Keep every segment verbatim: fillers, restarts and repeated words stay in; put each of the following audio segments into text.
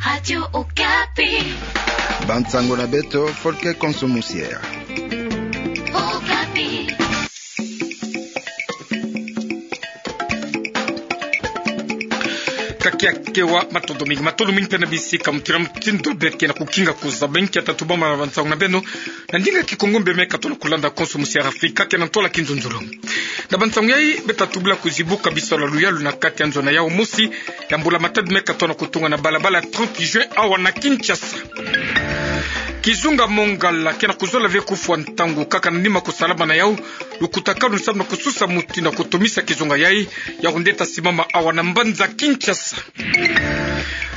Radio Okapi. Bansango na beto, Folke Konso Musiera. Okapi. Ka kiakewa, matondo mingi, matondo mingi mpe na bisika mutindu na mutindu beke na kukinga kuzaba nkia tatubama na bansango na beno. Na ndinga Kikongo mpe me katona kulanda Konso Musiera Afrika ke na ntwala kinzonzolo. Na bansango yai, beta tubula kuzibuka bisalu ya luyalu na kati ya nzo na yau mosi ya mbula matadi me katona kutunga na balabala trente juin awa na Kinshasa. Kizunga Mongala ke na kuzola ve kufwa ntangu kaka na nima kusalama na yau lukutakanu samu na kususa mutindu ya kutumisa kizunga yai, yau nde ta simama awa na mbanza Kinshasa.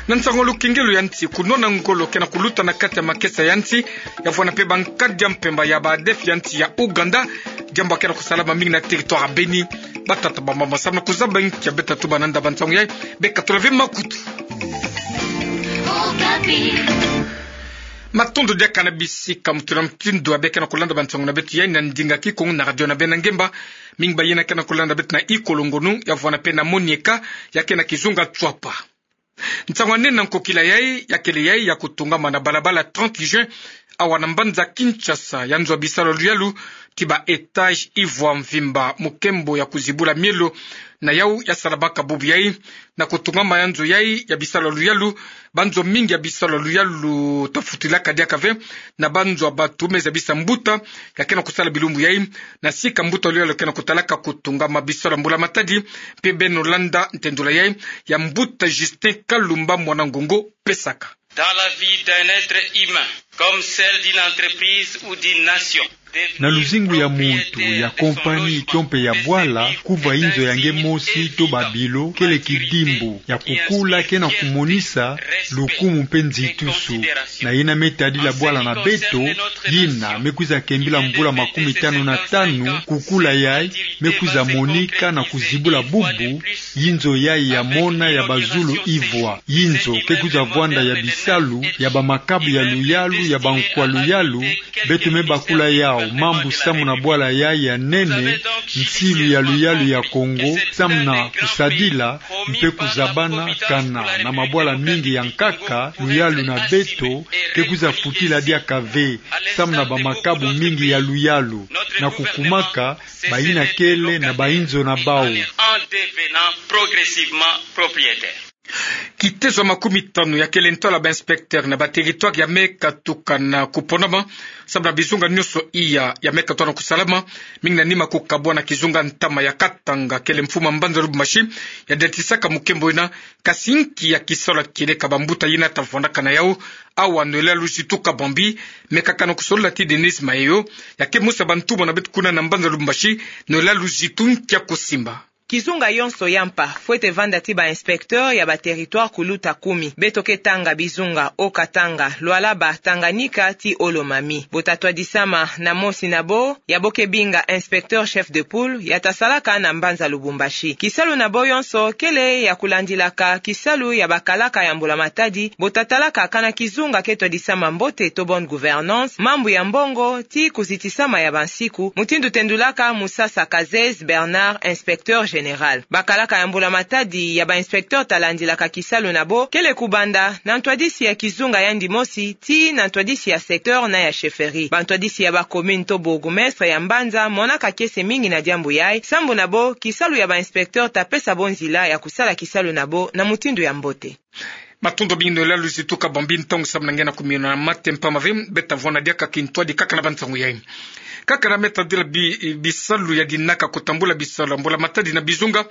Na nsangu lukengelo ya nsi, kunwana ngolo ke na kuluta na kati ya makesa ya nsi, ya vwanda mpe bankadi ya mpemba ya ba ADF ya nsi ya Ouganda, diambu ya ke na kusalama mingi na territoire ya Beni. Batata, bamama, samu na kuzaba nkia beta tuba nanda bansango yai, beka tula ve makutu. Matondo diaka na bisika mutindu na mutindu ya beke na kulanda bansango na beto yai na ndinga Kikongo na radio na beno ngemba. Mingi bayina ke na kulanda beto na Ikolo Ngonu, ya vwanda mpe na Monieka, ya ke na kizunga Tswapa. Nsangu ya nene na nkokila yai, ya kele yai ya kutungama na balabala trente juin, awa na mbanza Kinshasa, ya nzo ya bisalu ya luyalu, ti ba étage ivwa mvimba mukembo ya kuzibula mielo na yau ya salamaka bubu yai. Na kutungama ya nzo yai ya bisalu ya luyalu, banzo mingi ya bisalu ya luyalu ta futilaka diaka ve, na banzo ya batu me zabisa mbuta ya ke na kusala bilumbu yai, na sika mbuta ya luyalu ke na kutalaka kutungama bisalu ya mbula matadi, mpe beno landa ntendula yai ya mbuta Justin Kalumba Mwanangongo Pesaka. Dans la vie d'un être humain, comme celle d'une entreprise ou d'une nation, na luzingu ya muntu, ya kompani, to mpe ya bwala, kuva inzo ya nge mosi to ba bilo, kele kidimbu ya kukula ke na kumonisa lukumu mpe nzitusu. Na yina me tadila bwala na beto, yina me kwiza kembila mvula makumi tanu na tanu, kukula yai me kwiza monika na kuzibula bubu yinzo yai ya mona ya bazulu ivwa. Yinzo ke kwiza vwanda ya bisalu, ya bamakabu ya luyalu, ya bankwa luyalu, beto me bakula yau mambu samu na bwala yai ya nene, nsilu ya luyalu ya Kongo, samu na kusadila mpe kuzabana, kana na mabwala mingi ya nkaka, luyalu na beto ke kwiza futila diaka ve, samu na bamakabu mingi ya luyalu, na kukumaka bayina kele na bayinzo na bau. En devenant progressivement propriétaire. Kitezo ya makumi tanu ya kele ntwala ba inspecteur na ba territoire ya me katuka na kuponama, samu na bizunga nyonso iya ya me katona kusalama, mingi na nima kukabwana kizunga ntama ya Katanga, kele mfumu ya mbanza Lubumbashi ya datisaka mukembo yina, kasi nki ya kisalu ya kieleka bambuta yina ta vwandaka na yau? Awa Noëlla Luzitu Kabambi me kakana kusolola ti Denise Maheyo, ya ke mosi ya bantumwa na beto kuna na mbanza Lubumbashi. Noëlla Luzitu, nkia kusimba? Kizunga yonso ya mpa fwete vanda ti ba inspecteur ya ba territoire kuluta kumi. Beto ke tanga bizunga Haut-Katanga, Lualaba, Tanganyika ti Haut-Lomami. Bo ta twadisama na mosi na bo, ya bo ke binga inspecteur chef de poule, ya ta salaka na mbanza Lubumbashi. Kisalu na bo yonso kele ya kulandilaka kisalu ya bakalaka ya mbula matadi, bo ta talaka kana kizunga ke twadisama mbote to bonne gouvernance, mambu ya mbongo, ti kuzitisama ya bansiku, mutindu tendulaka Musasa Kazez Bernard, inspecteur général. Bakalaka ya mbula matadi ya ba inspecteur ta landilaka kisalu na bo kele kubanda na ntwadisi ya kizunga yandi mosi tii na ntwadisi ya secteur na ya chefferie. Bantwadisi ya ba commune to bourgmestre ya mbanza monaka kiese mingi na diambu yai, sambu na bo kisalu ya ba inspecteur ta pesa bo nzila ya kusala kisalu na bo na mutindu ya mbote. Matondo mingi Noëlla Luzitu Kabambi, ntangu samu na nge na kumino na mate mpamba ve, beta vwanda diaka kintwadi kaka na bansangu yai. Kaka na me tadila bi-, bisalu ya dinaka kutambula bisalu ya mbula matadi na bizunga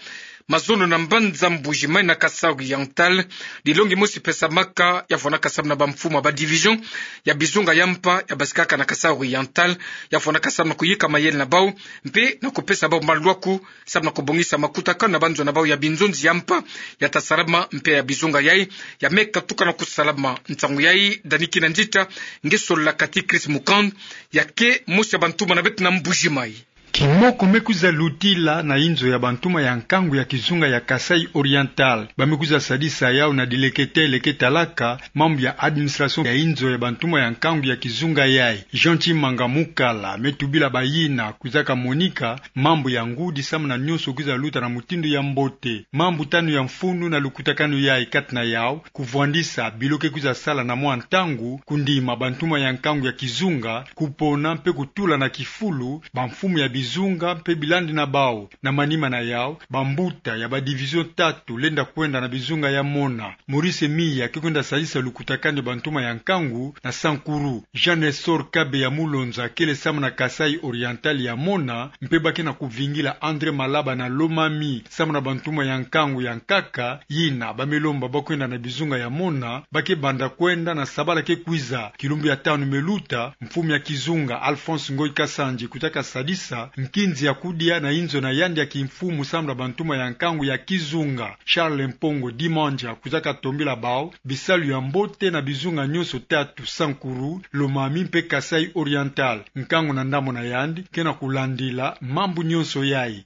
mazono na mbanza Mbuji-Mayi na Kasaï Oriental, dilongi mosi pesamaka ya vwandaka samu na bamfumu ya ba division ya bizunga ya mpa ya basikaka na Kasaï Oriental, ya vwandaka samu na kuyika mayele na bau, mpe na kupesa bau malwaku, samu na kubongisa makutakanu na banzo na bau ya binzonzi ya mpa ya ta salama, mpe ya bizunga yai ya me katuka na kusalama. Nsangu yai Dani Kinanzita nge sololaka ti Chris Mukand, ya ke mosi ya bantumwa na beto na Mbuji-Mayi. Kimoko me kwiza lutila na inzo ya bantuma ya nkangu ya kizunga ya Kasaï Oriental, ba me kwiza sadisa yau na dileketele ke talaka mambu ya administration ya inzo ya bantuma ya nkangu ya kizunga yayi, Jean Tshimanga Mukala, me tubila bayina kwizaka monika mambu ya ngudi samu na nyonso kwiza luta na mutindu ya mbote. Mambu tanu ya mfunu na lukutakanu yayi, kati na yau, kuvwandisa bilo ke kwiza sala na mwa ntangu, kundima bantuma ya nkangu ya kizunga, kupona mpe kutula na kifulu bamfumu ya bizunga mpe bilandi na bau. Na manima na yau, bambuta ya ba division tatu lenda kwenda na bizunga ya mona. Maurice Miya ke kwenda sadisa lukutakanu ya bantuma ya nkangu na Sankuru. Jean Nestor Kabeya Mulonza kele samu na Kasaï Oriental ya mona, mpe ba ke na kuvingila André Malaba na Lomami samu na bantuma ya nkangu ya nkaka. Yina ba me lomba ba kwenda na bizunga ya mona, ba ke banda kwenda na sabala ke kwiza. Kilumbu ya tanu me luta, mfumu ya kizunga Alphonse Ngoyi Kasanji kutaka sadisa nkinzi ya kudia na inzo na yandi ya kimfumu samu na bantuma ya nkangu ya kizunga. Charles Mpongo Dimandja kutaka tombila bau bisalu ya mbote na bizunga nyonso tatu, Sankuru, Lomami mpe Kasaï Oriental. Nkangu na ndambu na yandi ke na kulandila mambu nyonso yayi.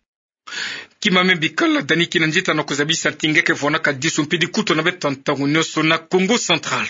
Kima me bikala Dani Kinanzita na kuzabisa ntinga ke vwanaka disu mpidi kutu na beto ntangu nyonso na Kongo Central.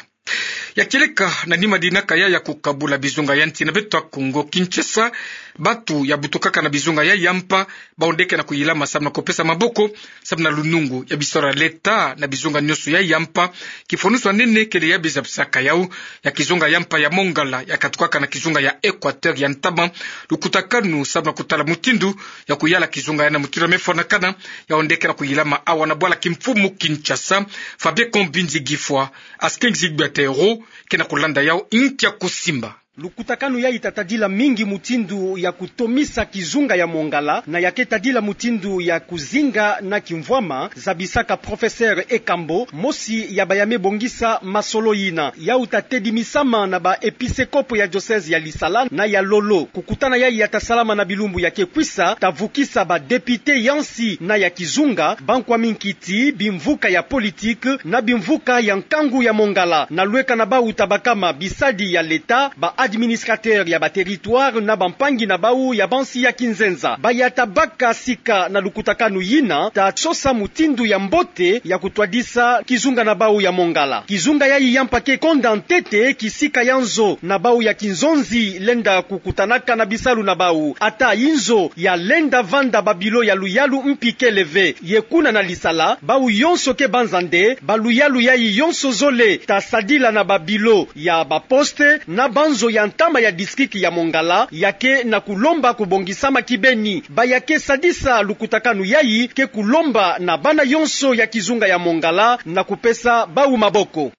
Ya kieleka na nima dinaka ya ya kukabula bizunga ya nsi na beto ya Kongo Kinshasa, batu ya butukaka na bizunga yayi ya mpa, bawu nde ke na kuyilama samu na kupesa maboko samu na lunungu ya bisalu ya leta na bizunga nyonso yayi ya mpa. Kifonusu ya nene kele ya bizabisaka yau ya kizunga ya mpa ya Mongala ya katukaka na kizunga ya Equateur ya ntama, lukutakanu samu na kutala mutindu ya kuyala kizunga ya na mutindu ya me fwanakana, yawu nde ke na kuyilama awa na bwala kimfumu Kinshasa. Fabien Kombinzi Gifwa, Askengi Zigbatero, ke na kulanda yau nkia kusimba. Lukutakanu yayi ta tadila mingi mutindu ya kutomisa kizunga ya Mongala, na ya ke tadila mutindu ya kuzinga na kimvwama, zabisaka professeur Ekambo, mosi ya ba ya me bongisa masolo yina. Yau ta tedimisama na ba episekopo ya diocèse ya Lisala na ya Lolo. Kukutana yayi ya ta salama na bilumbu ya ke kwisa, ta vukisa ba député ya nsi na ya kizunga, bankwa minkiti, bimvuka ya politique, na bimvuka ya nkangu ya Mongala, na lweka na bawu ta bakama bisadi ya leta, ba administrateur ya ba territoire na bampangi na bawu ya bansi ya kinzenza. Ba ya ta baka sika na lukutakanu yina, ta sosa mutindu ya mbote ya kutwadisa kizunga na bawu ya Mongala. Kizunga yayi ya mpa ke konda ntete kisika ya nzo na bawu ya kinzonzi lenda kukutanaka na bisalu na bawu. Ata inzo ya lenda vanda ba bilo ya luyalu mpi kele ve. Ye kuna na Lisala, bawu yonso ke banza nde ba luyalu yayi yonso zole, ta sadila na ba bilo ya ba poste na banzo ya ntama ya district ya Mongala, ya ke na kulomba kubongisama kibeni. Ba ya ke sadisa lukutakanu yayi ke kulomba na bana yonso ya kizunga ya Mongala na kupesa bawu maboko.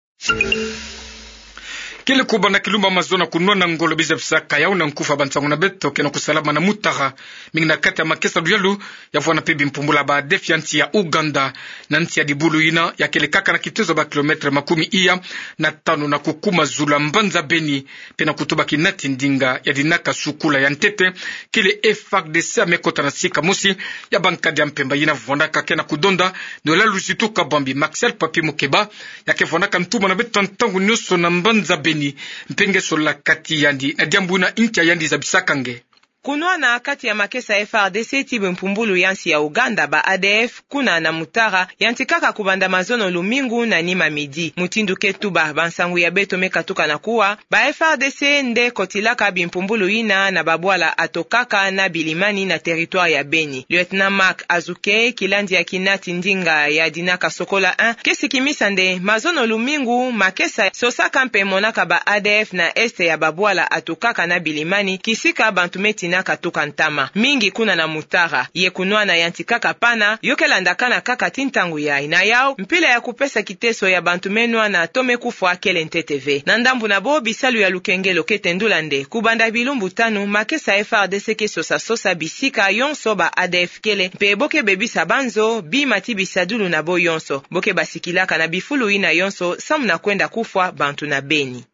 Kele kubanda kilumbu mazono kunwana ngolo bizabisaka yau na nkufa bansangu na beto ke na kusalama na Mutara, mingi na kati ya makesa luyalu ya vwanda mpe bimpumbulu ya ba ADF ya nsi ya Ouganda, na nsi ya dibulu yina ya kele kaka na kitezo ba kilomètre makumi iya na tanu na kukuma zulu ya mbanza Beni, mpe na kutuba kinati ndinga ya dinaka sukula ya ntete, kele FARDC ya me kota na sika mosi ya bankadi ya mpemba yina vwandaka ke na kudonda ndola luzitu kabambi. Maxel Papi Mukeba, ya ke vwandaka ntuma na beto ntangu nyonso na mbanza Beni, mpe nge solola kati yandi na diambu yina, nkia yandi zabisaka nge. Kunwana kati ya makesa FARDC ti bimpumbulu ya nsi ya Ouganda, ba ADF, kuna na Mutara, yantikaka kubanda mazono lumingu na nima midi. Mutindu ke tuba bansangu ya beto me katuka na kuwa, ba FARDC nde kotilaka bimpumbulu yina na babwala Atokaka na Bilimani na territoire ya Beni. Lieutenant Marc Azuke, kilandi ya kinati ndinga ya dinaka Sokola un, ke sikimisa nde mazono lumingu makesa sosaka mpe monaka ba ADF na est ya babwala Atokaka na Bilimani, kisika bantu me tinaka tuka ntama, mingi kuna na Mutara. Ye kunwana yantikaka pana, yo ke landakana kaka ti ntangu yayi. Na yau, mpila ya kupesa kiteso ya bantu me nwana to me kufwa kele ntete ve. Na ndambu na bo, bisalu ya lukengelo ke tendula nde, kubanda bilumbu tanu, makesa FARDC ke sosa sosa bisika yonso ba ADF kele, mpe bo ke bebisa banzo bima ti bisadulu na bo yonso. Bo ke basikilaka na bifulu yina yonso, samu na kwenda kufwa bantu na Beni.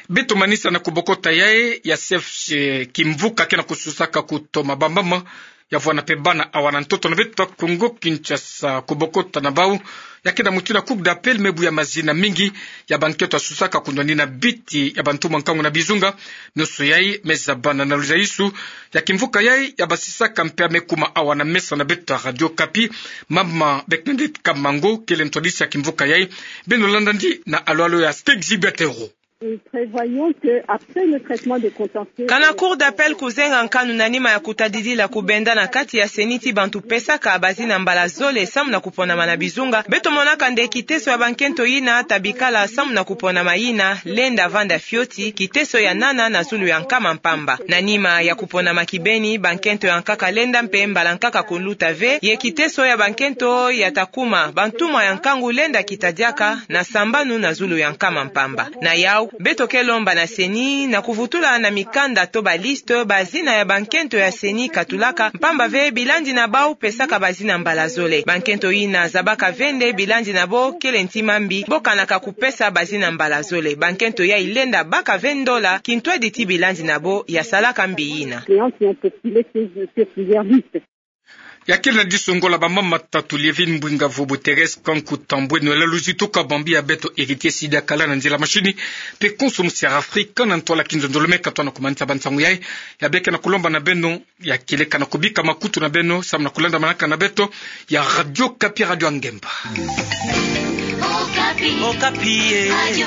Beto manisa na kubokota yayi ya chef, eh, kimvuka ke na kususaka kutoma bambama Ya vwanda pe bana awa na ntoto na beto Kongo Kinshasa, kubokota na bau ya kenda mutindu na Cour d'appel, me buya mazina mingi ya bankento ya susaka kunwanina biti ya bantumwa nkangu na bizunga. Nionso yai me zabana na luzaisu ya kimvuka yai ya basisaka mpe ya me kuma awa na mesa na beto ya Radio Okapi, mama Bernadette Kamango, kele ntwadisi ya kimvuka yai. Beno landa ndi na alwalo ya Stegzi Betero. Nous prévoyons que, après le traitement des contentieux, kana Cour d'appel kuzenga nkanu na nima ya kutadidila kubenda na kati ya CENI ti bantu pesaka bazina mbala zole samu na kuponama na bizunga, beto monaka nde kiteso ya bankento yina ta bikala samu na kuponama yina lenda vanda fioti, kiteso ya nana na zulu ya nkama mpamba. Na nima ya kuponama kibeni, bankento ya nkaka lenda mpe mbala nkaka kuluta ve, ye kiteso ya bankento ya ta kuma bantumwa ya nkangu lenda kita diaka na sambanu na zulu ya nkama mpamba. Na yau, beto ke lomba na CENI na kuvutula na mikanda to baliste bazina ya bankento ya CENI katulaka, mpamba ve bilandi na bau pesaka bazina mbala zole. Bankento yina zabaka ve nde bilandi na bo kele nti mambi, bo kanaka kupesa bazina mbala zole. Bankento yai lenda baka ve ndola kintwadi ti bilandi na bo ya salaka mbi yina. Clients qui ont postulé sur, sur plusieurs listes. Ya kele na diso ngo la bamama tatu, Lievine Mbwinga Vobo, Thérèse Kanku Tambwe, Noëlla Luzi, tuka bambi ya beto Héritier Sidi akala na nzila mashini, mpe konso musiara Afrika na ntwala kinzonzolo me katwa na kumanisa bansangu yai. Ya beke na kulomba na beno ya kieleka na kubika makutu na beno samu na kulanda manaka na beto ya Radio Okapi, radio ya ngemba. Okapi. Okapi, eh. Radio